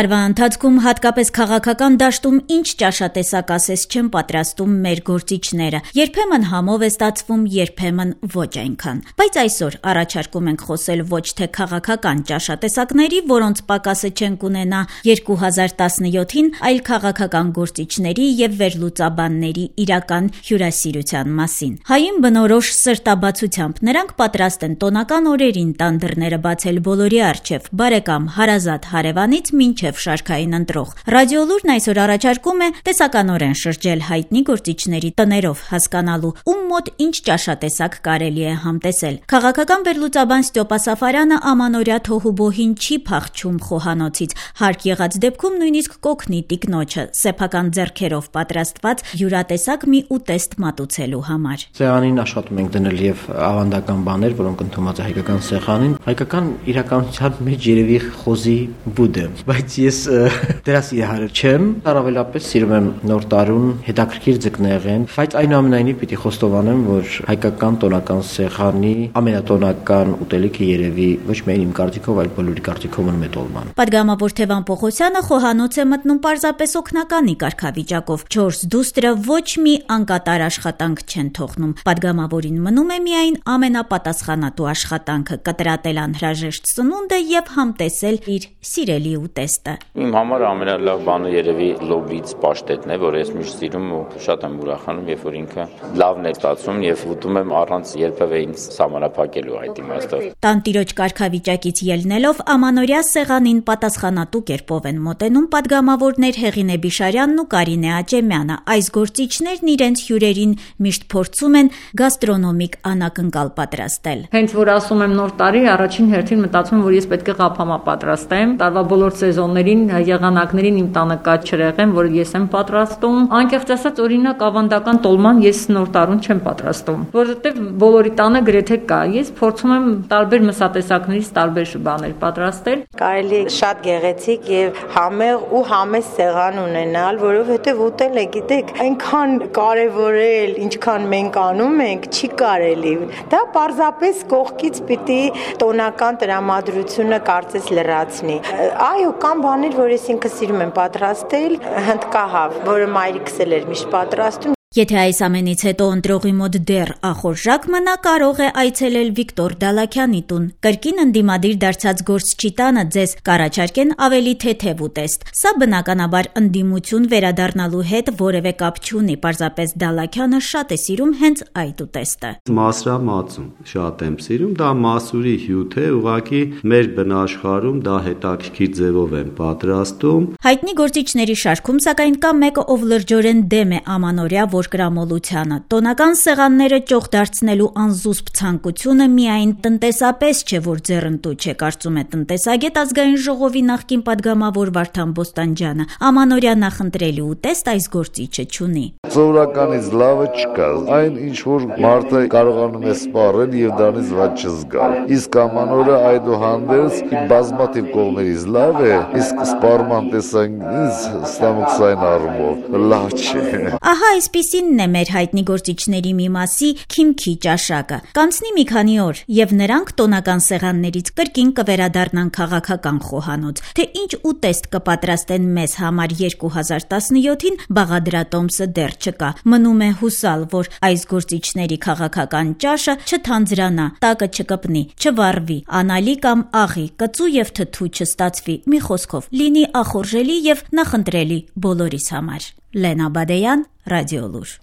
Տարվա ընթացքում հատկապես քաղաքական դաշտում ինչ ճաշատեսակ ասես չեն պատրաստում մեր գործիչները, երբեմն համով է ստացվում, երբեմն ոչ այնքան, բայց այսօր առաջարկում ենք խոսել ոչ թե քաղաքական ճաշատեսակների, որոնց պակասը չենք ունենա 2017-ին, այլ քաղաքական գործիչների եւ վերլուծաբանների իրական հյուրասիրության մասին։ Հային բնորոշ սրտաբացությամբ նրանք պատրաստ են տոնական օրերին տան դռները բացել բոլորի առջև, բարեկամ հարազատ հարևանից մինչև շարքային ընտրող։ Ռադիոլուրն այսօր առաջարկում է տեսականորեն շրջել հայտնի գործիչների տներով, հասկանալու ում մոտ ինչ ճաշատեսակ կարելի է համտեսել։ Քաղաքական վերլուծաբան Ստյոպա Սաֆարյանը ամանորյա թոհուբոհին չի փախչում խոհանոցից, հարկ եղած դեպքում նույնիսկ կօգնի տիկնոջը սեփական ձեռքերով պատրաստված յուրատեսակ մի ուտեստ մատուցելու համար։ Սեղանին աշխատում ենք դնել եւ ավանդական բաներ, որոնք ընդունված է հայկական սեղանին, հայկական իրականության մեջ երևի խոզի բուդը, բայց ես դրա սիրահար չեմ, առավելապես սիրում եմ նոր տարուն հետաքրքիր ձկնեղեն, բայց այնուամենայնիվ պիտի խոստովանեմ, որ հայկական տոնական սեղանի ամենատոնական ուտելիքը երևի ոչ միայն իմ կարծիքով, այլ բոլորի կարծիքով մնում է տոլման։ Պատգամավոր Թևան Պողոսյանը խոհանոց է մտնում պարզապես օգնականի կարգավիճակով, 4 դուստրը ոչ մի անկատար աշխատանք չեն թողնում։ Պատգամավորին մնում է միայն ամենապատասխանատու աշխատանքը՝ կտրատել անհրաժեշտ սնունդը եւ համտեսել իր սիրելի ուտեստը։ Իմ համար ամենալավ բանը երևի լոբից պաշտետն է, որ ես միշտ սիրում ու շատ եմ ուրախանում, երբ որ ինքը լավն է ստացվում եւ ուտում եմ առանց երբևէ ինձ սահմանափակելու այդ իմաստով։ Տանտիրոջ կարգավիճակից ելնելով ամանորյա սեղանին պատասխանատու կերպով են մոտենում պատգամավորներ Հեղինե Բիշարյանն ու Կարինե Աճեմյանը։ Այս գործիչներն իրենց հյուրերին միշտ փորձում են գաստրոնոմիկ անակնկալ պատրաստել։ Հենց որ ասում եմ նոր տարի, առաջին հերթին մտածում եմ, որ ես պետք է ղափամա պատրաստեմ։ Տարվա բոլոր սեզոններին, եղանակներին իմ տանը կա չրեղեն, որ ես եմ պատրաստում։ Անկեղծ ասած, օրինակ ավանդական տոլման ես նոր տարուն չեմ պատրաստում, որովհետև բոլորի տանը գրեթե կա։ Ես փորձում եմ տարբեր մսատեսակներից տարբեր բաներ պատրաստել։ Կարելի է շատ գեղեցիկ եւ համեղ ու համեստ սեղան ունենալ, որովհետեւ ուտելը, գիտեք, այնքան կարեւորել, ինչքան մենք անում ենք, չի կարելի։ Դա պարզապես կողքից պիտի տոնական տրամադրությունը կարծես լրացնի։ Այո, կան բաներ, որ ես ինքս սիրում եմ պատրաստել, հնդկահավ, որը մայրիկս էլ էր միշտ պատրաստում։ Եթե այս ամենից հետո ընտրողի մոտ դեռ ախորժակ մնա, կարող է այցելել Վիկտոր Դալաքյանի տուն։ Կրկին ընդդիմադիր դարձած գործչի տանը ձեզ կառաջարկեն ավելի թեթև ուտեստ։ Սա բնականաբար ընդդիմություն վերադառնալու հետ որևէ կապ չունի, պարզապես Դալաքյանը շատ է սիրում հենց այդ ուտեստը։ Մասրամածուն շատ եմ սիրում, դա մասուրի հյութ է, ուղղակի մեր բնաշխարհում դա հետաքրքիր ձևով են պատրաստում։ Հայտնի գործիչների շարքում սակայն կա մեկը, ով լրջորեն դեմ է ամանորյա կրամոլությանը։ Տոնական սեղանները ճոխ դարձնելու անզուսպ ցանկությունը միայն տնտեսապես չէ, որ ձեռնտու չէ, կարծում է տնտեսագետ ազգային ժողովի նախկին падգամավոր Վարդան Բոստանջյանը։ Ամանորյա նախընտրելի ուտեստ այս գործիչը չունի։ Սովորականից լավը չկա, այն ինչ որ մարդը կարողանում է սպառել եւ դրանից ված չզգալ։ Իսկ ամանորը այդուհանդերձ բազմաթիվ կողմերից լավ է, իսկ սպառման տեսանկյունից ստամոքսային առումով լավ չէ։ Ահա այսպիսինն է մեր հայտնի գործիչների մի մասի քիմքի ճաշակը։ Կանցնի մի քանի օր, եւ նրանք տոնական սեղաններից կրկին կվերադառնան քաղաքական խոհանոց։ Թե ինչ ուտեստ կպատրաստեն մեզ համար 2017-ին, բաղադրատոմսը դեռ չկա։ Մնում է հուսալ, որ այս գործիչների քաղաքական ճաշը չթանձրանա, տակը չկպնի, չվառվի, անալի կամ աղի, կծու եւ թթու չստացվի, մի խոսքով լինի ախորժելի եւ նախընտրելի բոլորիս համար։ Լենա Բադեյան, Ռադիոլուր։